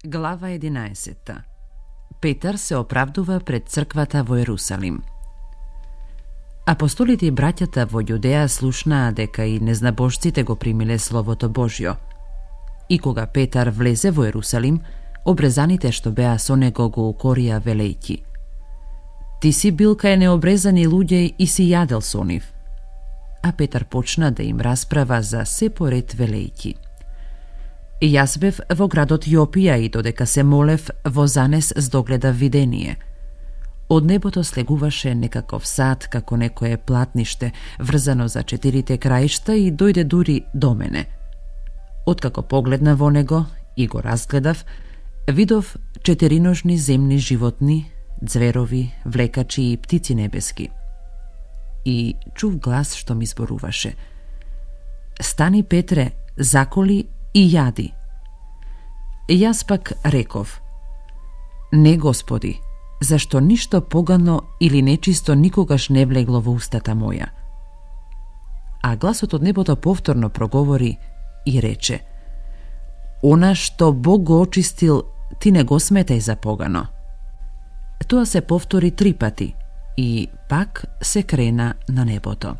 Глава 11. Петар се оправдува пред црквата во Ерусалим. Апостолите и браќата во Јудеја слушнаа дека и незнабожците го примиле Словото Божјо. И кога Петар влезе во Ерусалим, обрезаните што беа со него го укорија велејќи: "Ти си бил кај необрезани луѓе и си јадел со нив." А Петар почна да им расправа за се поред велејќи: "И јас бев во градот Јопија и додека се молев, во занес здогледав видение. Од небото слегуваше некаков сад како некое платниште, врзано за 4 краишта и дојде дури до мене. Откако погледна во него и го разгледав, видов 4ножни земни животни, ѕверови, влекачи и птици небески. И чув глас што ми зборуваше: "Стани, Петре, заколи и јади." Јас пак реков: "Не, Господи, зашто ништо погано или нечисто никогаш не влегло во устата моја." А гласот од небото повторно проговори и рече: "Она што Бог го очистил, ти не го сметај за погано." Тоа се повтори 3 пати и пак се крена на небото.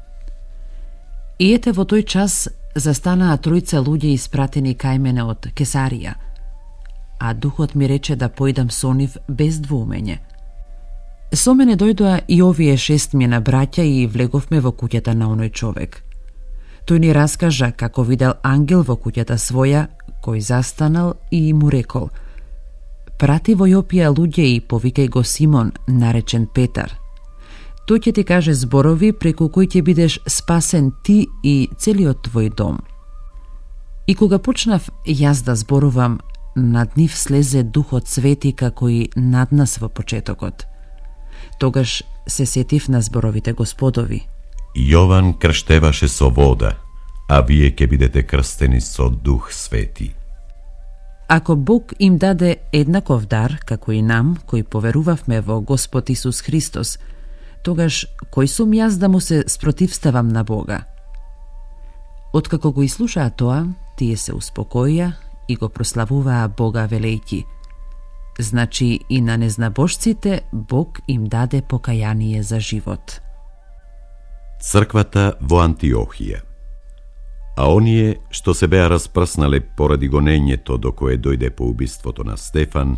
И ете во тој час застанаа 3 луѓе испратени кај мене од Кесарија, а духот ми рече да поидам со нив без двоумење. Со мене дојдоа и овие 6 браќа и влеговме во куќата на оној човек. Тој ни раскажа како видел ангел во куќата своја, кој застанал и му рекол: "Прати во Јопија луѓе и повикај го Симон, наречен Петар. Тој ќе ти каже зборови преку кои ќе бидеш спасен ти и целиот твој дом." И кога почнав јас да зборувам, над нив слезе Духот Свети како и над нас во почетокот. Тогаш се сетив на зборовите Господови: "Јован крштеваше со вода, а вие ќе бидете крстени со Дух Свети." Ако Бог им даде еднаков дар како и нам, кои поверувавме во Господ Исус Христос, тогаш кој сум јас да му се спротивставам на Бога? Откако го изслушаа тоа, тие се успокоија и го прославуваа Бога велејќи: "Значи и на незнабожците Бог им даде покаяние за живот." Црквата во Антиохија. А оние што се беа распрснале поради гонењето до кое дојде по убиството на Стефан,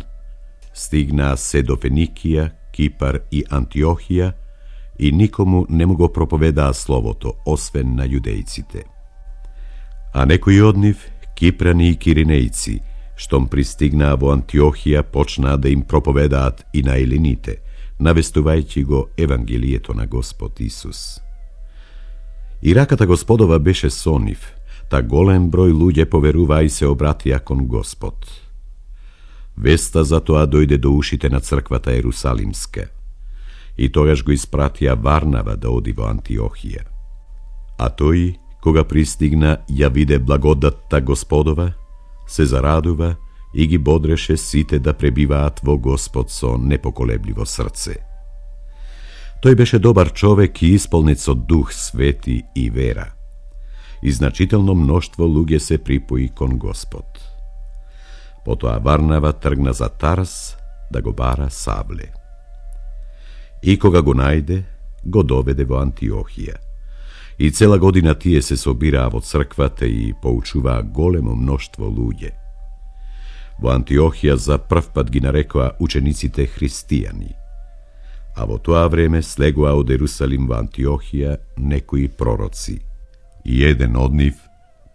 стигнаа се до Феникија, Кипар и Антиохија и никому не му го проповедаа словото, освен на јудејците. А некои од нив, кипрани и киринејци, штом пристигнаа во Антиохија, почнаа да им проповедаат и на елените, навестувајќи го Евангелието на Господ Исус. И раката Господова беше со нив, та голем број луѓе поверуваа и се обратија кон Господ. Веста за тоа дојде до ушите на црквата Ерусалимска, и тогаш го испратија Варнава да оди во Антиохија. А тој, кога пристигна, ја виде благодатта Господова, се зарадува и ги бодреше сите да пребиваат во Господ со непоколебливо срце. Тој беше добар човек и исполнет со Дух Свети и вера. И значително мноштво луѓе се припои кон Господ. Потоа Варнава тргна за Тарс да го бара Савле. И кога го најде, го доведе во Антиохија. И цела година тие се собираа во црквата и поучуваа големо мноштво луѓе. Во Антиохија за прв пат ги нарекоа учениците христијани. А во тоа време слегоа од Ерусалим во Антиохија некои пророци. И еден од нив,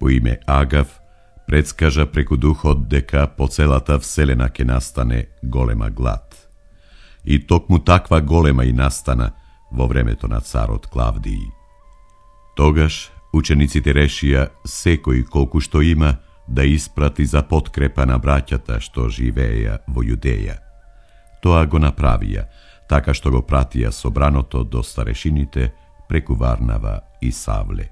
по име Агав, предскажа преку Духот дека по целата вселена ќе настане голема глад. И токму таква голема и настана во времето на царот Клавдиј. Тогаш учениците решија секој колку што има да испрати за подкрепа на браќата што живееја во Јудеја. Тоа го направија, така што го пратија собраното до старешините преку Варнава и Савле.